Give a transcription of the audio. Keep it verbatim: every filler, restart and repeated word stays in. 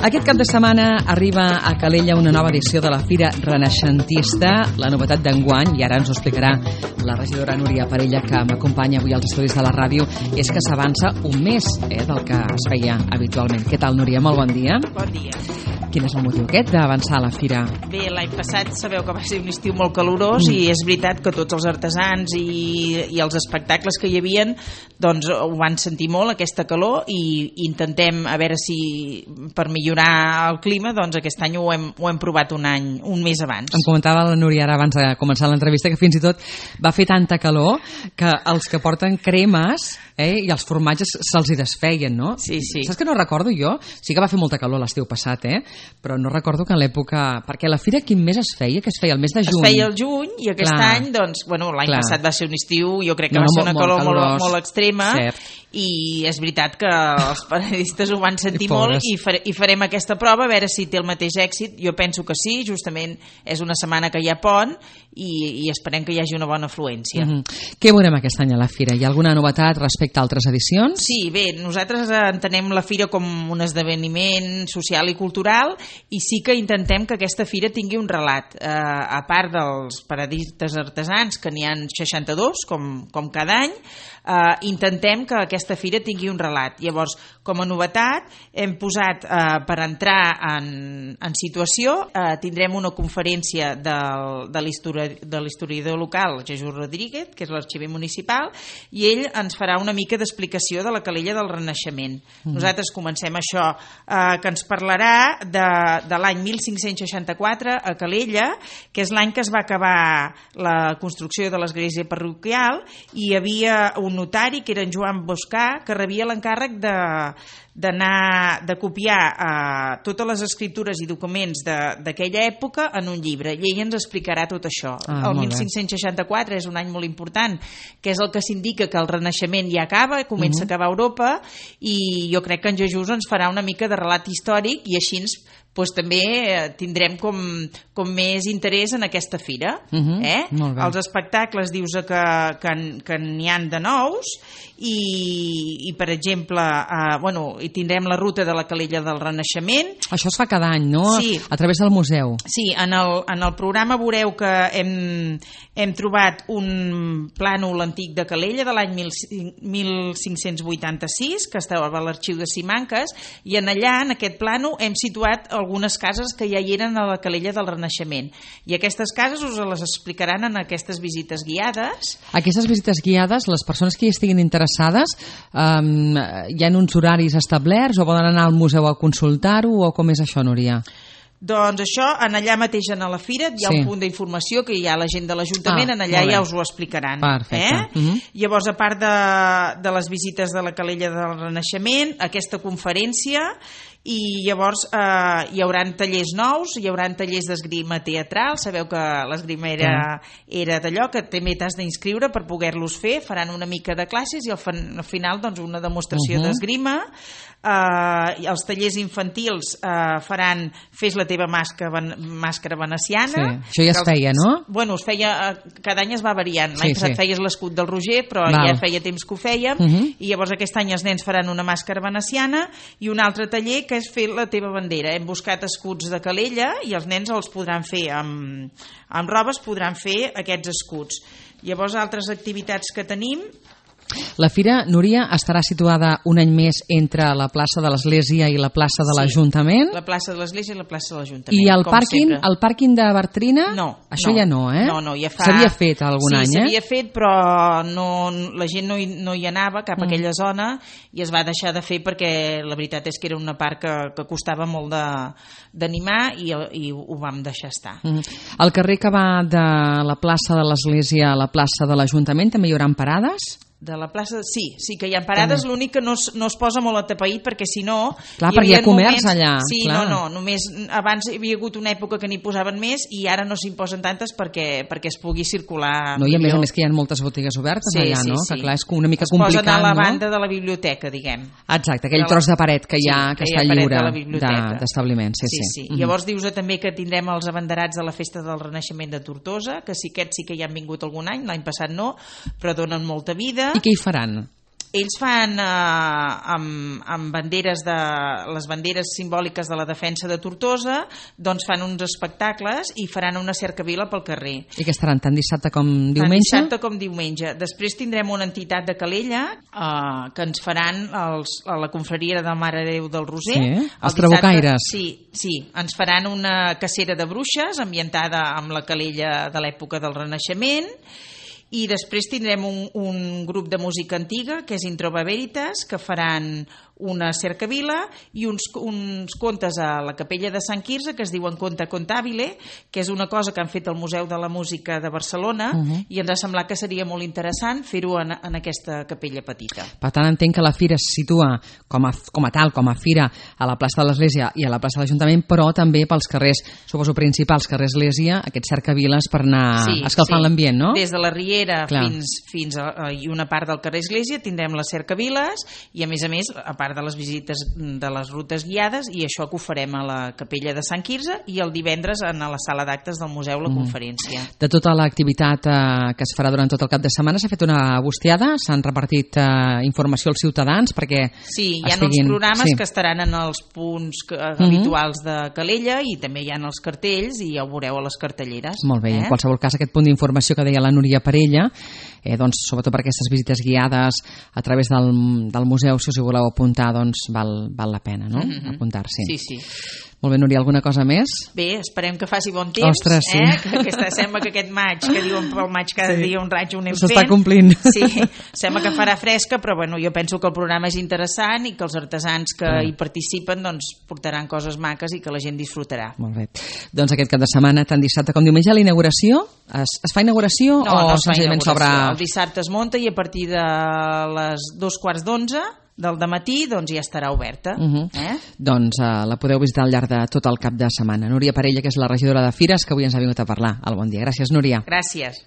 Aquest cap de setmana arriba a Calella una nova edició de la Fira Renaixentista, la novetat d'enguany, i ara ens ho explicarà la regidora Núria Parella, que m'acompanya avui als estudis de la ràdio, és que s'avança un mes eh, del que es feia habitualment. Què tal, Núria? Molt bon dia. Bon dia. Quin és el motiu aquest d'avançar a la fira? Bé, l'any passat sabeu que va ser un estiu molt calorós mm. i és veritat que tots els artesans i, i els espectacles que hi havien doncs ho van sentir molt, aquesta calor, i intentem a veure si per millorar el clima, doncs aquest any ho hem, ho hem provat un any, un mes abans. Em comentava la Núria ara abans de començar l'entrevista que fins i tot va fer tanta calor que els que porten cremes eh, i els formatges se'ls hi desfeien, no? Sí, sí. Saps que no recordo jo? Sí que va fer molta calor l'estiu passat, eh? Però no recordo que en l'època... Perquè la fira quin mes es feia? Que es feia el mes de juny? Es feia el juny i aquest Clar. any, doncs, bueno, l'any passat va ser un estiu, jo crec que no, va ser una molt, calor molt, molt, molt extrema. Cert. I és veritat que els periodistes ho van sentir molt i, fare, i farem aquesta prova a veure si té el mateix èxit. Jo penso que sí, justament és una setmana que hi ha pont i, i esperem que hi hagi una bona afluència. Mm-hmm. Què veurem aquest any a la fira? Hi ha alguna novetat respecte a altres edicions? Sí, bé, nosaltres entenem la fira com un esdeveniment social i cultural i sí que intentem que aquesta fira tingui un relat. Eh, a part dels periodistes artesans, que n'hi ha seixanta-dos, com, com cada any, eh, intentem que aquesta aquesta fira tingui un relat. Llavors, com a novetat, hem posat eh, per entrar en, en situació, eh, tindrem una conferència del, de l'historiador local, Jesús Rodríguez, que és l'arxiver municipal, i ell ens farà una mica d'explicació de la Calella del Renaixement. Mm. Nosaltres comencem això, eh, que ens parlarà de, de l'any mil cinc-cents seixanta-quatre a Calella, que és l'any que es va acabar la construcció de l'església parroquial, i hi havia un notari, que era en Joan Boscà, que rebia l'encàrrec de d'anar de copiar eh, totes les escritures i documents d'aquella època en un llibre, i ell ens explicarà tot això. Ah, el mil cinc-cents seixanta-quatre és un any molt important, que és el que s'indica que el Renaixement ja acaba, comença uh-huh. a acabar a Europa, i jo crec que en Jesús ens farà una mica de relat històric, i així ens pues, també tindrem com, com més interès en aquesta fira. Uh-huh. eh? Els espectacles dius que, que, que n'hi han de nous, i, i per exemple eh, bueno, i tindrem la ruta de la Calella del Renaixement. Això es fa cada any, no? Sí. A través del museu. Sí, en el, en el programa veureu que hem, hem trobat un plànol antic de Calella de l'any mil cinc-cents vuitanta-sis, que estava a l'arxiu de Simancas, i en allà, en aquest plànol, hem situat algunes cases que ja hi eren a la Calella del Renaixement. I aquestes cases us les explicaran en aquestes visites guiades. Aquestes visites guiades, les persones que hi estiguin interessades, um, hi ha uns horaris establerts o poden anar al museu a consultar-ho, o com és això, Núria? Doncs això, en allà mateix a la fira hi ha sí. un punt d'informació que hi ha la gent de l'Ajuntament, ah, en allà ja us ho explicaran. Perfecte. Eh? Uh-huh. Llavors, a part de, de les visites de la Calella del Renaixement, aquesta conferència, i llavors eh, hi haurà tallers nous, hi haurà tallers d'esgrima teatral. Sabeu que l'esgrima era, era d'allò que també t'has d'inscriure per poder-los fer, faran una mica de classes i al, fan, al final doncs, una demostració uh-huh. d'esgrima. Eh, els tallers infantils eh, faran Fes la teva màscara, màscara veneciana. Sí. Això ja es els, feia, no? Bueno, es feia, cada any es va variant. L'any sí, passat sí. feies l'escut del Roger, però Val. ja feia temps que ho fèiem, uh-huh. i llavors aquest any els nens faran una màscara veneciana i un altre taller que és fer la teva bandera. Hem buscat escuts de Calella i els nens els podran fer amb, amb robes, podran fer aquests escuts. Llavors, altres activitats que tenim... La fira, Núria, estarà situada un any més entre la plaça de l'Església i la plaça de l'Ajuntament? Sí, la plaça de l'Església i la plaça de l'Ajuntament. I el pàrquing, el pàrquing de Bartrina? No. Això no, ja no, eh? No, no, ja fa... S'havia fet algun sí, any, eh? Sí, s'havia fet, però no, la gent no hi, no hi anava cap a mm. aquella zona i es va deixar de fer perquè la veritat és que era una part que, que costava molt d'animar i, i ho vam deixar estar. Mm. El carrer que va de la plaça de l'Església a la plaça de l'Ajuntament també hi haurà parades? De la plaça, sí, sí que hi ha parades, l'únic que no es, no es posa molt atapeït perquè si no... Clar, perquè hi ha comerç moments, allà. Sí, clar. no, no, només abans hi havia hagut una època que n'hi posaven més i ara no s'hi posen tantes perquè, perquè es pugui circular no, i a millor. més a més que hi ha moltes botigues obertes sí, allà, sí, no? Sí. Que clar, és una mica es complicat, no? Es posen a la banda de la biblioteca, diguem. Exacte, aquell tros de paret que hi ha, sí, que, que està lliure d'establiment. De, sí, sí, sí. sí. Mm-hmm. Llavors dius també que tindrem els abanderats de la Festa del Renaixement de Tortosa, que sí, aquests sí que hi han vingut algun any, l'any passat no, però donen molta vida. I què hi faran? Ells fan eh, amb, amb banderes de, les banderes simbòliques de la defensa de Tortosa, doncs fan uns espectacles i faran una cercavila pel carrer. I que estaran tant dissabte com diumenge? Tant dissabte com diumenge. Després tindrem una entitat de Calella eh, que ens faran els, a la confraria de Mare Déu del Roser. Sí, el els trabucaires. Sí, sí, ens faran una cacera de bruixes ambientada amb la Calella de l'època del Renaixement. I després tindrem un, un grup de música antiga, que és Introva Veritas, que faran una cercavila i uns, uns contes a la capella de Sant Quirze que es diuen Conte Contabile, que és una cosa que han fet al Museu de la Música de Barcelona, uh-huh. i ens ha semblat que seria molt interessant fer-ho en, en aquesta capella petita. Per tant, entenc que la fira es situa com a, com a tal, com a fira a la plaça de l'Església i a la plaça de l'Ajuntament, però també pels carrers, suposo principals, carrer Església, aquests cercaviles per anar sí, escalfant sí. l'ambient, no? Des de la Riera Clar. fins, fins a, i una part del carrer Església tindrem les cercaviles i, a més a més, a part de les visites de les rutes guiades, i això que ho farem a la capella de Sant Quirze i el divendres a la sala d'actes del museu la mm. conferència. De tota l'activitat eh, que es farà durant tot el cap de setmana s'ha fet una bustiada? S'han repartit eh, informació als ciutadans perquè Sí, hi ha estiguin... uns programes sí. que estaran en els punts que, mm-hmm. habituals de Calella i també hi ha els cartells i ja ho veureu a les cartelleres. Molt bé, eh? en qualsevol cas aquest punt d'informació que deia la Núria Parella, eh, doncs, sobretot per aquestes visites guiades a través del, del museu, si us hi voleu apuntar, doncs val, val la pena, no? Mm-hmm. Apuntar-s'hi. Sí, sí. Molt bé, Núria, alguna cosa més? Bé, esperem que faci bon temps. Ostres, sí. Eh? Que aquesta, sembla que aquest maig, que diuen pel maig cada sí. dia un raig ho anem fent. S'està complint. Sí, sembla que farà fresca, però bueno, jo penso que el programa és interessant i que els artesans que ah. hi participen doncs, portaran coses maques i que la gent disfrutarà. Molt bé. Doncs aquest cap de setmana, tant dissabte com diumenge, la inauguració, es, es fa inauguració no, o no es fa senzillament inauguració. s'obre... El dissabte es munta i a partir de les dos quarts d'onze del dematí doncs ja estarà oberta. Uh-huh. eh? Doncs uh, la podeu visitar al llarg de tot el cap de setmana. Núria Parella, que és la regidora de Fires, que avui ens ha vingut a parlar. Al Bon Dia. Gràcies, Núria. Gràcies.